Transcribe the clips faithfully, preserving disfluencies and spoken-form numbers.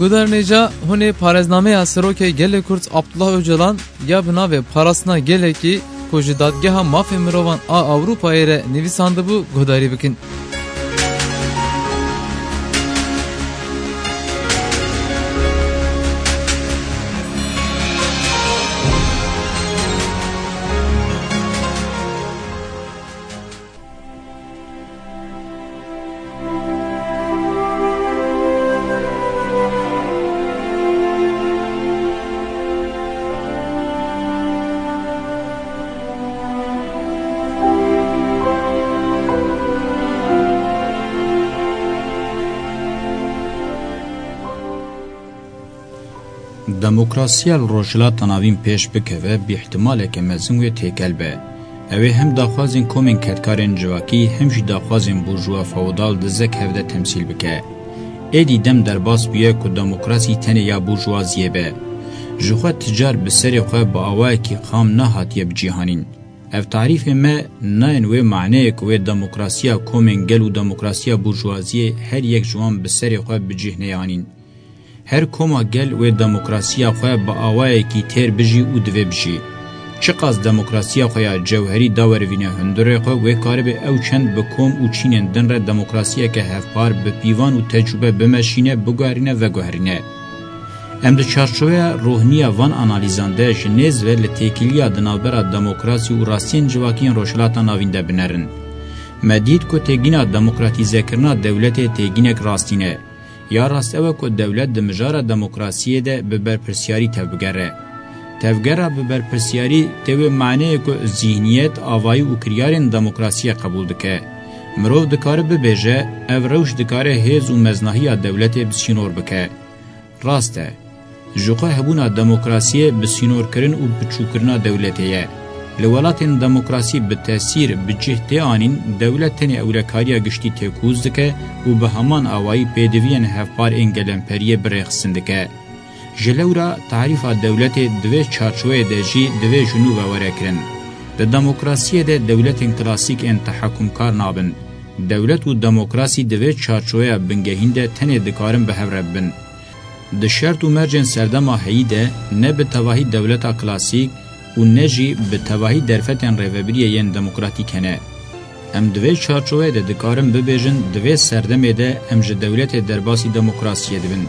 Guhdarên hêja, hûn ê parêznameya Serokê Gelê Kurd Abdullah Ocalan ya bi navê Parastina Gelekî ku ji Dadgeha Mafê Mirovan a Ewropayê re nivîsandibû guhdarî bikin. Demokrasiya li Rojhilata Navîn pêş bikeve, bi îhtimaleke mezin wê têkel be. Ew ê hem daxwazên komên kedkarên civakî, hem jî daxwazên burjuwa feodal di zek hevde temsîl bike. Êdî dem derbas bûye ku demokrasî tenê ya burjuwaziyê be. Ji xwe ti car bi serê xwe bi awayekî xam nehatiye bicîhanîn. Ev tarîfê me nayên wê maneyê ku wê demokrasiya komên gel û demokrasiya burjuwaziyê her yek ji wan bi serê xwe bi cih neyê anîn. Her koma gel wê demokrasiya xwe bi awayekî têr bijî û divê bijî. Çiqas demokrasiya xwe ya cewherî dawerivîne hundirê xwe, wê karibe ew çend bi kom û çînên din re demokrasiyeke hevpar, bi pîvan û tecrûbe bimeşîne, biguherîne, veguherîne. Em di çarçoveya rohniya van analîzan de ji nêz ve li têkiliya di navbera demokrasî û rastiyên civakî yên Rojhilata Navîn de binerin. Me dît ku têgîna demokratîzekirina dewletê têgînek rastîn e. Ya rast ew e ku dewlet di mijara demokrasiyê de bi berpirsiyarî tevbigere. Tevgera bi berpirsiyarî tê wê maneyê ku zîhniyet, avayî û kiryarên demokrasiyê qebûl dike. Mirov dikare bibêje, ev rewş dikare hêz û meznahiya dewletê bi sînor bike. Rast e. Ji xwe hebûna demokrasiyê bi sînorkirin û biçûkirina dewletê ye. Li welatên demokrasî bi tesîr, bi cih tê anîn, dewlet tenê ewlekariya giştî têkûz dike û bi heman awayî pêdiviyên hevpar ên gelemperiyê bi rêxistin dike. Ji lewra tarîfa dewletê di vê çarçoveyê de jî divê ji nû ve were kirin. Di demokrasiyê de dewletên klasîk ên tehekumkar nabin. Dewlet û demokrasî di vê çarçoveya bingehîn de tenê dikarin bi hev re bibin. Di şert û mercên serdema heyî de ne bi tevahî dewleta klasîk û ne jî bi tevahî derfetên rêvebiriyê yên demokratîk hene. Em di vê çarçoveyê de dikarin bibêjin, di vê serdemê de em ji dewletê derbasî demokrasiyê dibin.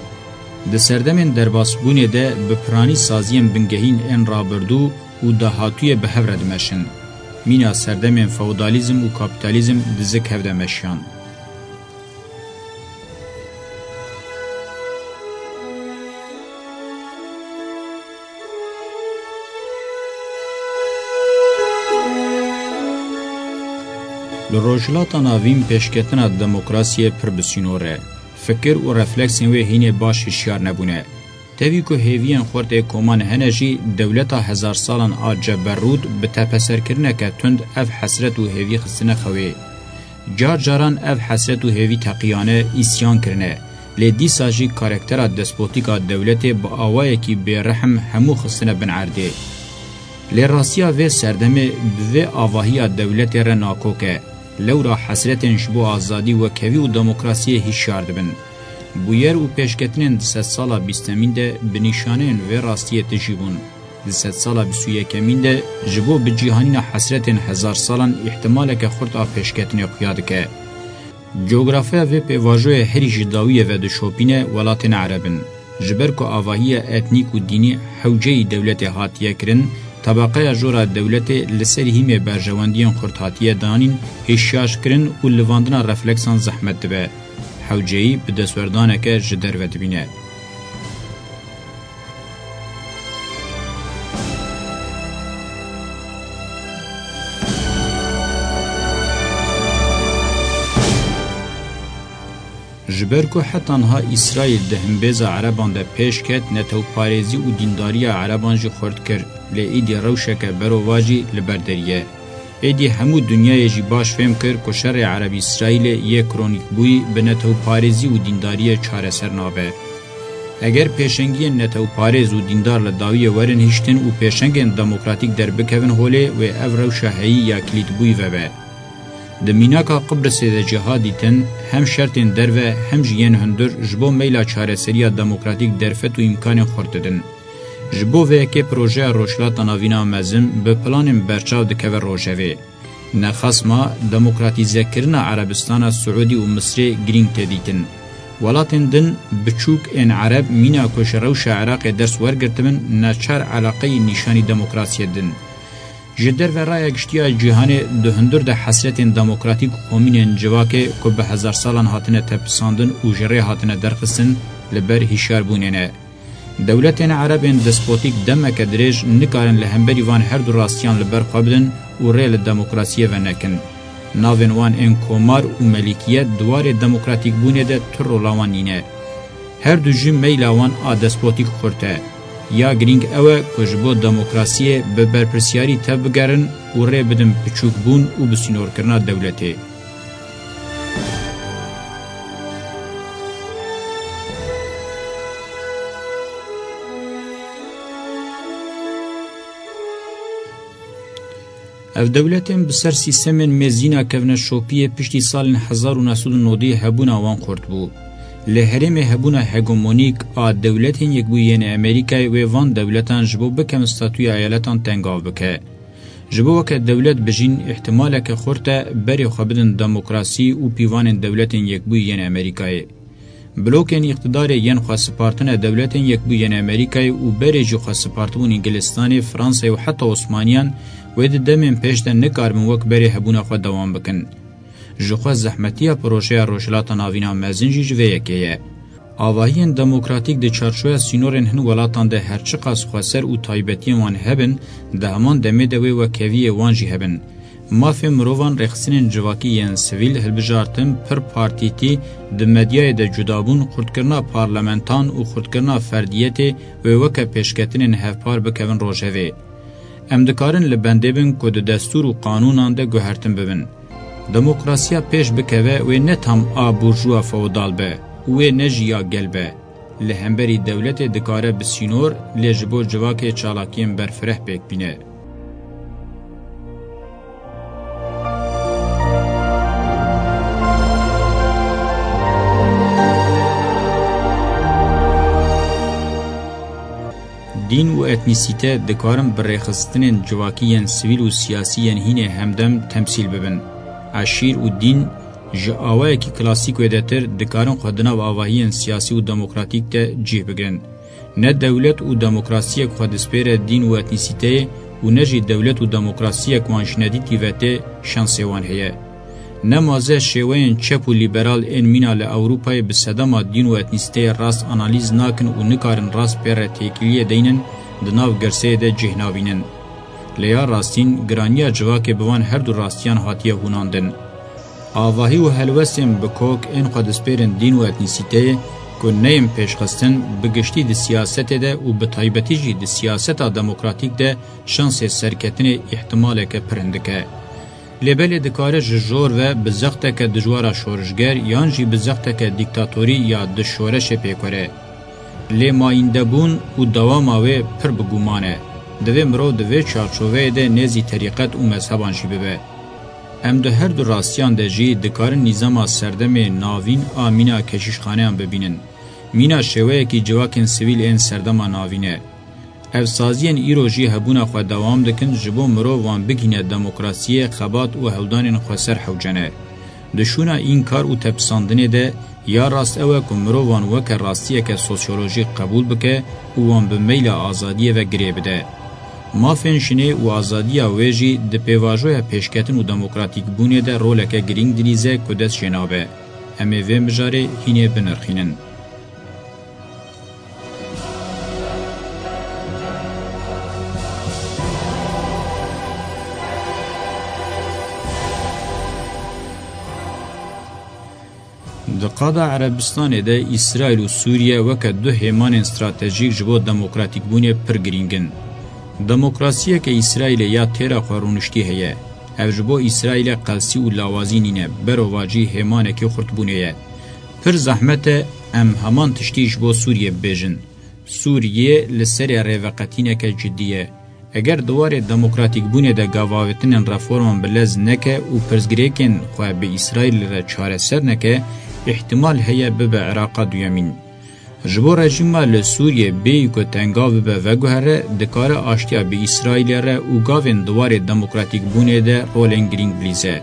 Di serdemên derbasbûnê de bi piranî saziyên bingehîn ên rabirdû û dahatûyê bi hev re dimeşin. Mîna serdemên feodalîzm û kapîtalîzm di zik hev de meşiyan. Li Rojhilata Navîn pêşketina demokrasiyê pir bi sînor e. Fikir û refleksên wê hînê baş hişyar nebûne. Tevî ku hêviyên xurt ê koman hene jî, dewleta hezar salan a ceberrûd bi tepeserkirineke tund ev hesret û hêvî xistine xewê. Car caran ev hesret û hêvî teqiyane, îsyan kirine, lê dîsa jî karaktera despotîk a dewletê bi awayekî bêrehm hemû xistine bin erdê. Lê rastiya vê serdemê bi vê avahiya dewletê re nakok e. Lewra hesretên ji bo azadî, wekhevî û demokrasiyê hişyar dibin. Bûyer û pêşketinên di sedsala bîstemîn de bi nîşaneyên vê rastiyê tijî bûn. Di sedsala bîst û yekemîn de ji bo bicîhanîna hesretên hezar salan îhtimaleke xurt a pêşketinê xuya dike. Cografiya vê pêvajoyê herî ji dawiyê ve dişopîne welatên ereb in. Ji ber ku avahiya etnîk û dînî hewceyî dewletê hatiye kirin, tebeqeya jor a dewletê li ser hîmê berjewendiyên xurt hatiye danîn, hişyarkirin û livandina refleksan zehmet dibe. Hewceyî bi destwerdaneke ji derve dibîne. Ji ber ku heta niha Îsraîl di himbêza ereban de pêş ket, netewparêzî û dîndariya ereban jî xurt kir, lê îdî rewşeke berovajî li ber derî ye. Êdî hemû dinyayê jî baş fêm kir ku şerê Ereb-Îsraîlê yê kronîkbûyî bi netewparêzî û dîndariyê çareser nabe. Eger pêşengiyên netewparêz û dîndar li dawiyê werin hiştin û pêşengên demokratîk derbikevin holê, wê ev rewşa heyî ya kilîtbûyî vebe. Di mînaka Qibrisê de jî hat dîtin, hem şertên derve hem jî yên hundir ji bo meyla çareseriya demokratîk derfet û îmkanên xurt didin. Ji bo vê yekê projeya Rojhilata Navîn a mezin bi planên berçav dikeve rojevê. Nexasma demokratîzekirina Erebistana Siûdî û Misrê girîng tê dîtin. Welatên din biçûk ên Ereb mîna ku ji rewşa Iraqê ders wergirtibin, neçar eleqeyî nîşanî demokrasiyê din. Ji derve raya giştî ya cîhanê di hundir de hesretên demokratîk û komînên civakê ku bi hezar salan hatine tepisandin û ji rê hatine derxistin, li ber hişyarbûnê ne. Dewletên Ereb ên despotîk demeke dirêj nikarin li hemberî van her du rastiyan li ber xwe bidin û rê li demokrasiyê ve nekin. Navên wan ên komar û melîkiyet di warê demokratîkbûnê de tu rola wan nîne. Her du jî meyla wan a despotîk xurt e. Ya girîng ew e ku ji bo demokrasiyê bi berpirsiyarî tevbigerin û rê bidin piçûkbûn û bi sînorkirina dewletê. Ev dewletên bi ser sîstemên mêzîna kevneşopiyê piştî salên hezar û neh sed û nodî hebûna wan xurt bû. Li herêmê hebûna hegemonîk a Dewletên Yekbûyî yên Amerîkayê wê van dewletan ji bo bikevin statûya eyaletan tengav bike. Ji bo weke dewlet bijîn, îhtimaleke xurt e berê xwe bidin demokrasî û pîvanên Dewletên Yekbûyî yên Amerîkayê. Blokên îqtidarê yên xwe spartine Dewletên Yekbûyî yên Amerîkayê û berê jî xwe spartibûn Îngilistanê, Fransayê û heta Osmaniyan wê di demên pêş de nikaribin wek berê hebûna xwe dewam bikin. Ji xwe zehmetiya projeya Rojhilata Navîn a mezin jî ji vê yekê ye. Avahiyên demokratîk di çarçoya sînorên hin welatan de her çiqas xweser û taybetiyên wan hebin, di heman demê de wê wekheviyê wan jî hebin. Mafê mirovan, rêxistinên civakî yên sivîl, hilbijartin pir partîtî, di medyayê de cudabûn, xurtkirina parlamentan û xurtkirina ferdiyetê wê weke pêşketinên hevpar bikevin rojevê. Em dikarin li bendê bin ku di destûr û qanûnan de guhertin bibin. Demokrasiya pêş bikeve wê ne tam a burjuwa feodal be û wê ne jî ya gel be. Li hemberî dewletê dikare bi sînor, lê ji bo civakê çalakiyên berfireh pêk bîne. Dîn û etnîsîte dikarin bi rêxistinên civakî yên sivîl û siyasî yên hînê hemdem temsîl bibin. Eşîr û dîn ji awayekî klasîk wêdetir dikarin xwe di nav avahiyên siyasî û demokratîk de cih bigirin. Ne dewlet û demokrasiyek xwe dispêre dîn û etnîsîteyê û ne jî dewlet û demokrasiyek wan ji nedîtî ve tê şansê wan heye. Nemaze şêweyên çep û lîberal ên mîna li Ewropayê bi sedema dîn û etnîsîteyê rast analîz nakin û nikarin rast pê re têkiliyê deynin, di nav girseyê de cih nabînin. Lê ya rastîn, giraniya civakê bi van her du rastiyan hatiye hûnandin. Avahî û helwestên bi kok ên xwe dispêrin dîn û etnîsîteyê ku neyên pêşxistin, bi giştî di siyasetê de û bi taybetî jî di siyaseta demokratîk de şansê serketinê îhtimaleke pir hindik e. Lê belê dikare ji jor ve bi zexteke dijwara şorişger yan jî bi zexteke dîktatorî ya di şoreşê pêk were. Lê mayîndebûn û dewama wê pir bi guman e. Divê mirov di vê çarçoveyê de nêzî terîqet û mezheban jî bibe. Em di her du rastiyan de jî dikarin nîzama serdemê navîn a mîna keşîşxaneyan bibînin. Mîna şêweyekî civakên sivîl ên serdema navîn e. Ev saziyên îro jî hebûna xwe dewam dikin, ji bo mirov wan bigihîne demokrasiyê, xebat û hewldanên xweser hewce ne. Di şûna înkar û tepisandinê de, ya rast ew e ku mirov wan weke rastiyeke sosyolojîk qebûl bike û wan bi meyla azadiyê ve girê bide. Mafên jinê û azadiya wê jî di pêvajoya pêşketin û demokratîkbûnê de roleke girîng dilîze ku dest jê nabe. Em ê vê mijarê hînê binirxînin. Di qada Erebistanê de Îsraîl û Sûriye weke du hêmanên stratejîk ji bo demokratîkbûnê pir girîng in. Demokrasiyeke Îsraîlê ya têra xwe rûniştî heye. Ev ji bo Îsraîlê qelsî û lawazî nîne, berovajî hêmanekî xurtbûnê ye. Pir zehmet e em heman tiştî ji bo Sûriyê bibêjin. Sûriye li serê rêveqetîneke cidî ye. Eger di warê demokratîkbûnê de gavavêtinên reforman bi lez neke û pirsgirêkên xwe bi Îsraîlê re çareser neke, îhtimal heye bibe Iraqa duyemîn. Ji bo rejîma li Sûriyê bêyî ku tengav bibe veguhere, dikare aştiya bi Îsraîlê re û gavên di warê demokratîkbûnê de rolên girîng bilîze.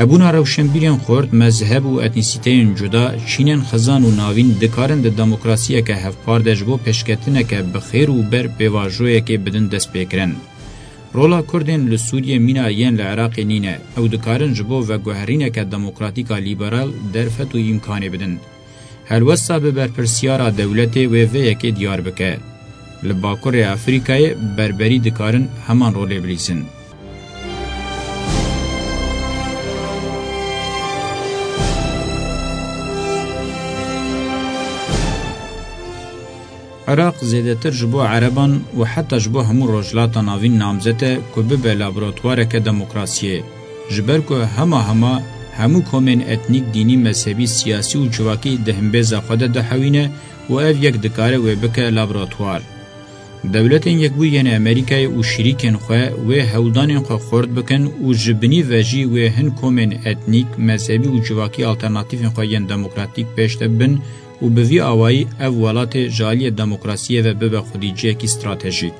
Hebûna rewşenbîrên xurt, mezheb û etnîsîteyên cuda, çînên xizan û navîn dikarin di demokrasiyeke hevpar de ji bo pêşketineke bi xêr û ber pêvajoyekê bidin destpêkirin. Rola Kurdên li Sûriyê mîna yên li Iraqê nîne. Ew dikarin ji bo veguherîneke demokratîk a lîberal derfet û îmkanê bidin. Helwesta bi berpirsiyara dewletê wê vê yekê diyar bike. Li Bakurê Afrîkayê berberî dikarin heman rolê bilîzin. Iraq zêdetir ji bo Ereban û heta ji bo hemû Rojhilata Navîn namzet e ku bibe laboratuwareke demokrasiyê. Ji ber ku hema hema hemû komên etnîk, dînî, mezhebî, siyasî û civakî di himbêza xwe de dihewîne û ev yek dikare wê bike laboratuwar. Dewletên Yekbûyî yên Amerîkayê û şirîkên xwe wê hewldanên xwe xurt bikin û ji binî ve jî wê hin komên etnîk, mezhebî û civakî alternatîfên xwe yên demokratîk pêş de bibin û bi vî awayî ev welatê ji aliyê demokrasiyê ve bibe xwedîciyekî stratejîk.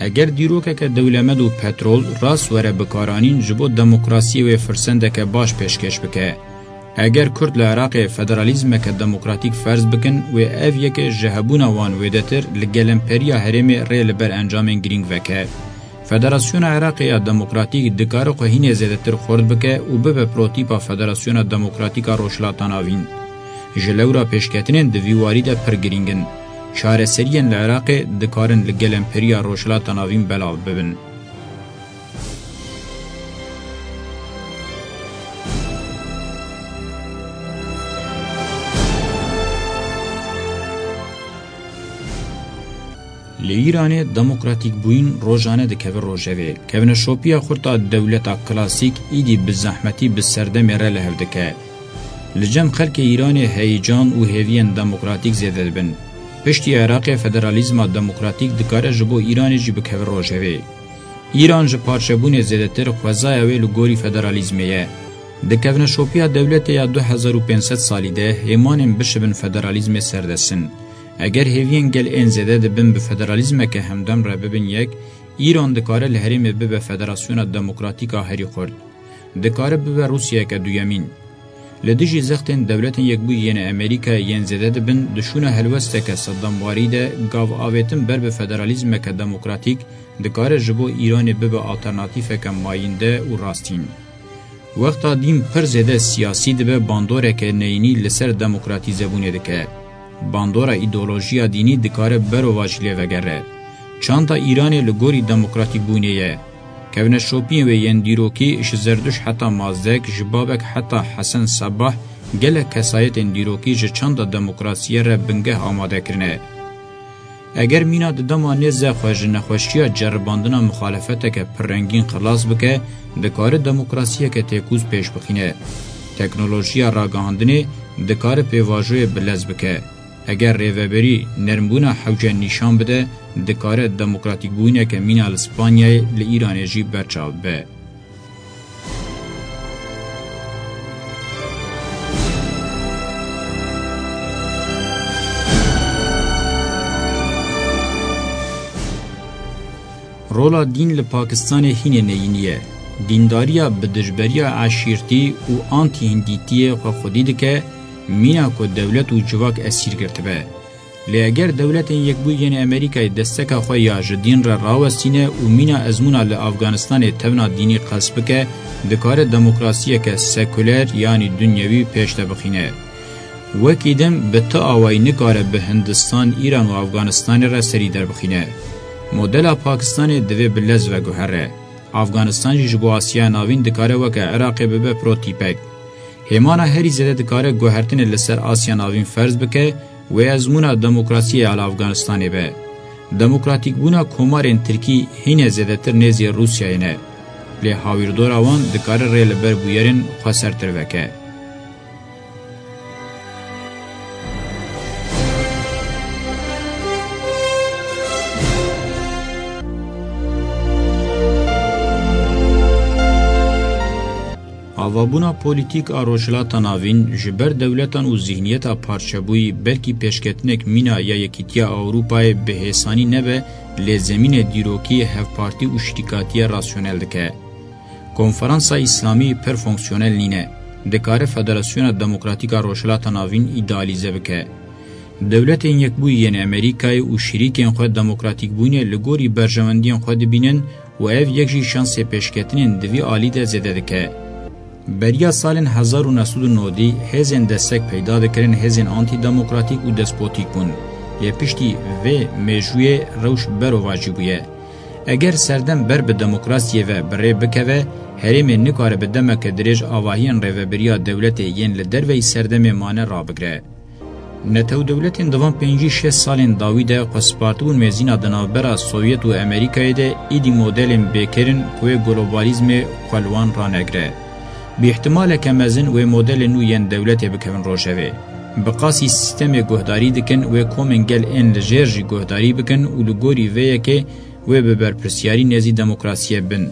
Eger dîrokeke dewlemend û petrol rast were bikaranîn, ji bo demokrasiyê wê firsendeke baş pêşkêş bike. Eger Kurd li Iraqê federalîzmeke demokratîk ferz bikin, wê ev yekê ji hebûna wan wêdetir li gelemperiya herêmê rê li ber encamên girîng veke. Federasyona Iraqê ya Demokratîk dikare xwe hînê zêdetir xurt bike û bibe protîpa Federasyona Demokratîk a Rojhilata Navîn. Ji lewra pêşketinên di vî warî de pir girîng in. Çareseriyên li Iraqê dikarin li gelemperiya Rojhilata Navîn belav bibin. Li Îranê demokratîkbûyîn rojane dikeve rojevê. Kevneşopiya xurt a dewleta klasîk îdî bi zehmetî bi serdemê re li hev dike. Li cem xelkê Îranê heyecan û hêviyên demokratîk zêde dibin. Piştî Iraqê federalîzma demokratîk dikare ji bo Îranê jî bikeve rojevê. Îran ji parçebûnê zêdetir xwezaya wê li gorî federalîzmê ye. Di kevneşopiya dewletê ya du hezar û pênc sed salî de hêmanên bişibin federalîzmê serdest in. Eger hêviyên gel ên zêde dibin bi federalîzmeke hemdem re bibin yek, Îran dikare li herêmê bibe federasyona demokratîk a herî xurt. Dikare bibe Rûsyayeke duyemîn. Li dijî zextên Dewletên Yekbûyî yên Amerîkayê yên zêde dibin, di şûna helwesteke sedemwarî de gav avêtin ber bi federalîzmeke demokratîk dikare ji bo Îranê bibe alternatîfeke mayînde û rastîn. Wexta dîn pir zêde siyasî dibe, bandoreke neyînî li ser demokratîzebûnê dike. Bandora îdeolojiya dînî dikare berovajî lê vegere. Çanda Îranê li gorî demokratîkbûnê ye. Kevneşopiyên wê yên dîrokî ji Zerduşt heta Mazdek, ji Babek heta Hesen Sebah, gelek kesayetên dîrokî ji çanda demokrasiyê re bingeh amade kirine. Eger mîna di dema nêze xwe ji nexweşiya ceribandina muxalefeteke pirrengîn xilas bike, dikare demokrasiyeke têkûz pêş bixîne. Teknolojiya ragihandinê dikare pêvajoyê bilez bike. Eger rêveberî nermbûna hewce nîşan bide, dikare demokratîkbûyîneke mîna li Spanyayê, li Îranê jî berçav bibe. Rola dîn li Pakistanê hînê neyînî ye. Dîndariya bi dijberiya eşîrtî û antîhîndîtiyê xwe xwedî dike, mîna ku dewlet û civak esîr girtibe. Lê eger Dewletên Yekbûyî yên Amerîkayê desteka xwe ya ji dîn re rawestîne û mîna ezmûna li Afganistanê tevna dînî qels bike, dikare demokrasiyeke sekuler, yanî dunyewî, pêş de bixîne. Wekî din bi ti awayî nikare bi Hindistan, Îran û Afganistanê re serî derbixîne. Modela Pakistanê divê bi lez veguhere. Afganistan jî ji bo Asyaya Navîn dikare weke Iraqê bibe protîpek. Hêmana herî zêde dikare guhertinê li ser Asya Navîn ferz bike, wê ezmûna demokrasiyê ya li Afganistanê be. Demokratîkbûna komarên tirkî hînê zêdetir nêzî Rûsyayê ne. Lê hawîrdora wan dikare rê li ber bûyerên xwesertir veke. Avabûna polîtîk a Rojhilata Navîn ji ber dewletan û zîhniyeta parçebûyî belkî pêşketinek mîna ya Yekîtiya Ewropayê bi hêsanî nebe, lê zemînê dîrokî, hevpartî û şirîkatiyê rasyonel dike. Konferansa Îslamî pir fonksiyonel nîne. Dikare Federasyona Demokratîk a Rojhilata Navîn îdealîze bike. Dewletên Yekbûyî yên Amerîkayê û şirîkên xwe demokratîkbûyînê li gorî berjewendiyên xwe dibînin û ev yek jî şansê pêşketinên di vî alî de zêde dike. Beriya salên hezar û neh sed û nodî hêzên destek peyda dikirin hêzên antîdemokratîk û despotîk bûn. Lê piştî vê mêjûyê rewş berovajî bûye. Eger serdem ber bi demokrasiyê ve bi rê bikeve, herêmê nikare bi demeke dirêj avahiyên rêvebiriya dewletê yên li derveyî serdemê mane rabigire. Netewdewletên di van pêncî şêst salên dawî de xwe spartibûn mêzîna di navbera Sovyet û Amerîkayê de êdî modelên bêkêr in ku wê globalîzmê xwe li wan ranegire. Bi îhtimaleke mezin wê modelên nû yên dewletê bikevin rojevê. Bi qasî sîstemê guhdarî dikin, wê komên gel ên li jêr jî guhdarî bikin û li gorî vê yekê wê bi berpirsyarî nêzî demokrasiyê bin.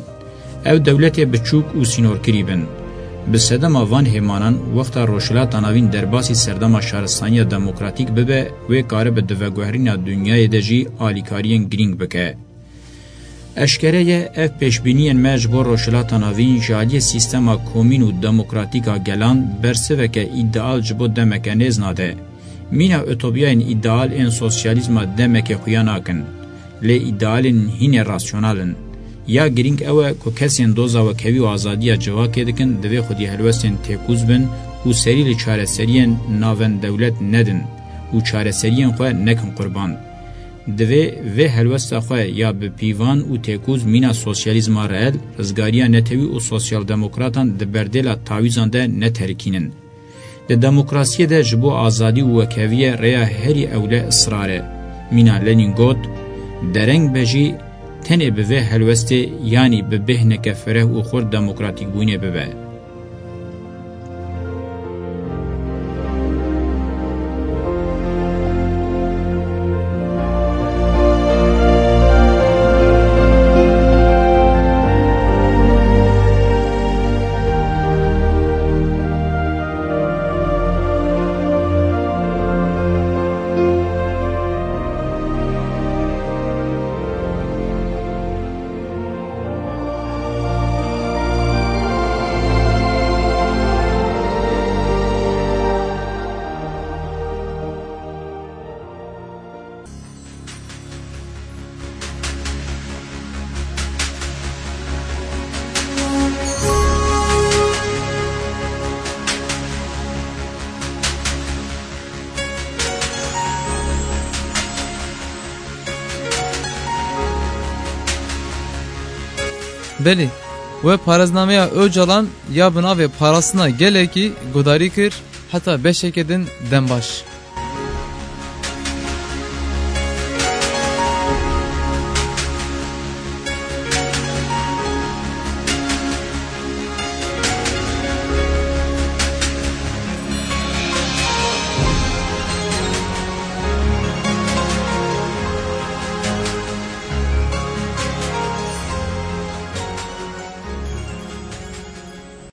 Ew dewletê biçûk û sînorkirî bin. Bi sedema van hêmanan, wexta Rojhilata Navîn derbasî serdema şaristaniya demokratîk bibe, wê karibe di veguherîna dinyayê de jî alîkariyên girîng bike. Eşkere ye, ev pêşbîniyên me ji bo Rojhilata Navîn ji aliyê sîstema komîn û demokratîk a gelan bersiveke îdeal ji bo demeke nêz nade. Mîna utopiyayên îdeal ên sosyalîzma demekê xuya nakin. Lê îdealên hînê rasyonal in. Ya girîng ew e ku kesên doza wekhevî û azadiya civakê dikin, divê xwedî helwestên têkûz bin û serî li çareseriyên navendewlet nedin û çareseriyên xwe nekin qurban. Divê vê helwesta xwe ya bi pîvan û têkûz mîna sosyalîzma reel, rizgariya netewî û sosyaldemokratan di berdêla tawîzan de neterikînin. Di demokrasiyê de ji bo azadî û wekheviyê rêya herî ewle israr e. Mîna Lenîn got, dereng be jî tenê bi vê helwestê, yanî bi bêhneke fireh û xurt demokratîkbûyînê bibe. Belê, we parêznameya Ocalan ya bi navê Parastina Gelekî guhdarî kir, heta beşeke din dem baş.